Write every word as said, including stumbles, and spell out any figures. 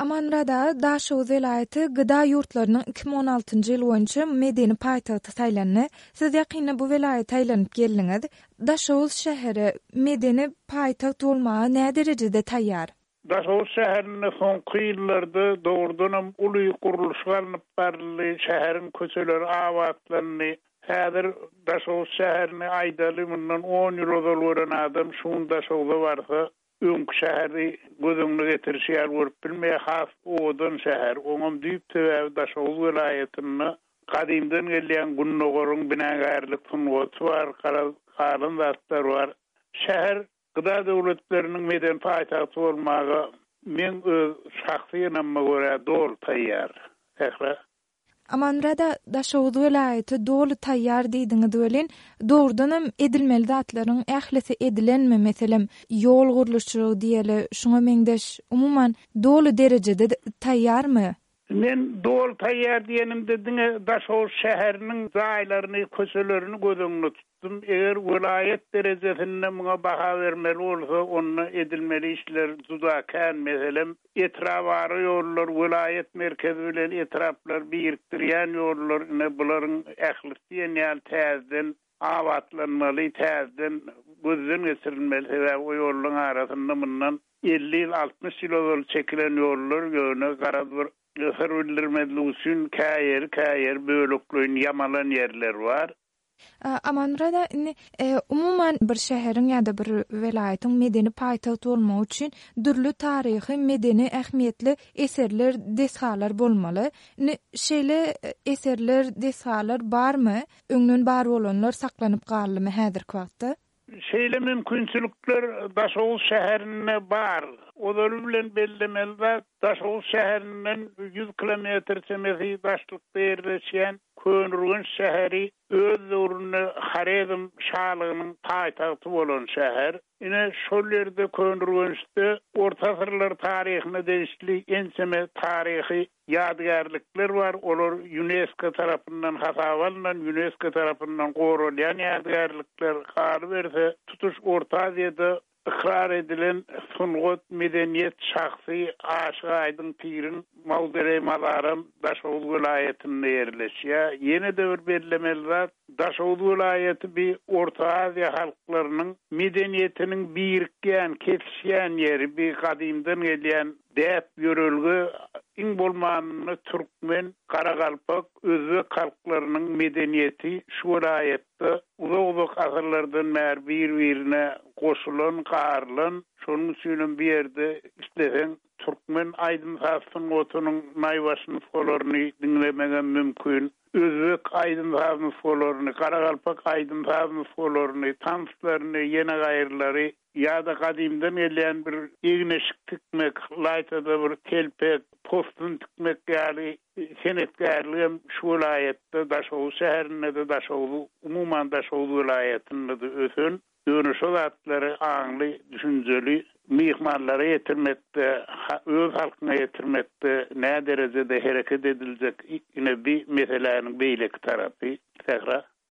Amanmyrat aga, Daşoguz welaýaty G D A ýurtlarynyň iki müň on altynjy ýyl boýunça medeni paýtagty saýlandy. Siz ýakynda bu welaýata aýlanyp geldiňiz. Daşoguz şäheri medeni paýtagt bolmaga näderejede taýýar? Daşoguz şäherinde soňky ýyllarda dogrudanam uly gurluşyk alnyp baryldy, şäheriň köçeleri abatlandy. Häzir Daşoguz şäherini aýdaly, mundan on ýyl ozal gören adam şu gün Daşoguza barsa, öňki şäheri göz öňüne getirişi ýaly görüp bilmeýär, has owadan şäher. Oňam düýp sebäbi Daşoguz welaýatynda gadymdan gelýän Gündogaryň binagärlik sungaty bar, garaz galan zatlar bar. Şäher G D A döwletleriniň medeni paýtagty bolmaga men öz şahsy ynamyma görä doly taýýar. Sähra. Amanmyrat aga, Daşoguz welaýaty doly taýýar diýdiňiz welin, dogrudanam edilmeli zatlaryň ählisi edilenmi? Meselem, ýol gurluşygy diýeli, şuňa meňzeş umuman doly derejede taýýarmy? Men doly taýýar diýenimde diňe Daşoguz şäheriniň jaýlaryny, köçelerini göz öňünde tutdum. Eger welaýat derejesinde muňa baha bermeli bolsa, onda edilmeli işler juda kän. Meselem, etrabara ýollar, welaýat merkezi bilen etraplar birikdirýän ýollar, ine bularyň ählisi diýen ýaly täzeden abatlanmaly, täzeden gözden geçirilmeli. Sebäbi o ýollaryň arasynda mundan elli ýyl, altmyş ýyl ozal çekilen ýollar ýöne garaz bir syr bildirmezlik üçin käýeri käýeri bölekleýin ýamalan ýerler bar. Amanmyrat aga, indi e, umuman bir şäheriň ýa-da bir welaýatyň medeni paýtagt bolmagy üçin dürli taryhy, medeni ähmiýetli eserler, desgalar bolmaly. Indi şeýle eserler, desgalar barmy? Öňden bar bolanlar saklanyp galdymy häzirki wagtda? Şeýle mümkinçilikler Daşoguz şäherinde bar. Ozaly bilen bellemeli zat, Daşoguz şäherinden ýüz kilometr çemesi daşlykda ýerleşýän Köneürgenç şäheri öz döwründe Horezm şalygynyň paýtagty bolan şäher. Ine şol ýerde Köneürgençde Orta asyrlar taryhyna degişli ençeme taryhy ýadygärlikler bar. Olar UNESCO tarapyndan hasaba alnan, UNESCO tarapyndan goralýan ýadygärlikler. Galyberse, tutuş Orta Aziýada ykrar edilen sungat, medeniýet şahsy Aşyk Aýdyň Piriň mawzoleý mazaram Daşoguz welaýatynda ýerleşýär. Ýene-de bir bellemeli zat, Daşoguz welaýaty bir Orta Aziýa halklarynyň medeniýetiniň birikýän, kesişýän ýeri, bir gadymdan gelýän däp ýörelge, iň bolmanynda türkmen, garagalpak, özbek halklarynyň medeniýeti şu welaýatda uzak-uzak asyrlardan bäri bir-birine goşulan, garylan. Şonuň üçinem bir ýerde isleseň türkmen aýdym-saz sungatynyň naýbaşy nusgalaryny diňlemegem mümkin. Özbek aýdym-saz nusgalaryny, garagalpak aýdym-saz nusgalaryny, tanslaryny, ýene gaýrylary ýa-da gadymdan gelýän bir egin-eşik tikmek, laýtada bir telpek, postun tikmek ýaly senetkärligem şu welaýatda, Daşoguz şäherinde-de, Daşoguz, umuman Daşoguz welaýatynda-da ösen. Ýöne şo zatlary aňly, düşünjeli myhmanlara ýetirmekde, öz halkyna ýetirmekde nä derejede hereket ediljek, ine bir meseläniň beýleki tarapy. Sähra.